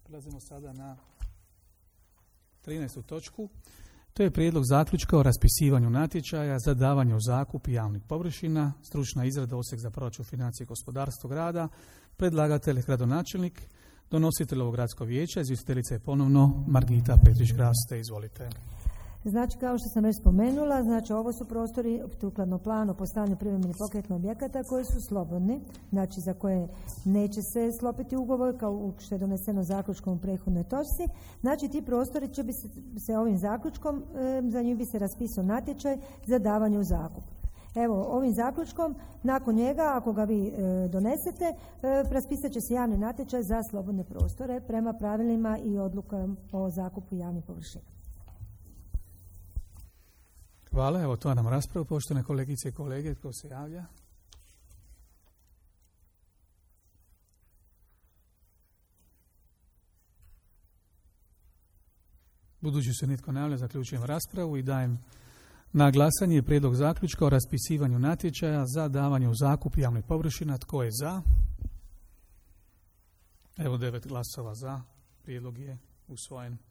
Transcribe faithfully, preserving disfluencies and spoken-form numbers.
Prelazimo sada na trinaestu točku. To je prijedlog zaključka o raspisivanju natječaja za davanje u zakup javnih površina, stručna izrada Odsjek za proračun, financije i gospodarstvo grada, predlagatelj gradonačelnik, donositelj ovog gradskog vijeća, izvjestiteljica je ponovno Margita Petrić-Graste. Izvolite. Znači, kao što sam već spomenula, znači ovo su prostori sukladno planu o postavljanju privremenih pokretnih objekata koji su slobodni, znači za koje neće se sklopiti ugovor kao što je doneseno zaključkom u prethodnoj točci. Znači, ti prostori će bi se, se ovim zaključkom, e, za njih bi se raspisao natječaj za davanje u zakup. Evo, ovim zaključkom, nakon njega, ako ga vi e, donesete, e, raspisat će se javni natječaj za slobodne prostore prema pravilima i odlukom o zakupu javnih površina. Hvala, evo otvaram raspravu. Poštovane kolegice i kolege, tko se javlja? Budući se nitko ne javlja, zaključujem raspravu i dajem na glasanje prijedlog zaključka o raspisivanju natječaja za davanje u zakup javnih površina. Tko je za? Evo devet glasova za. Prijedlog je usvojen.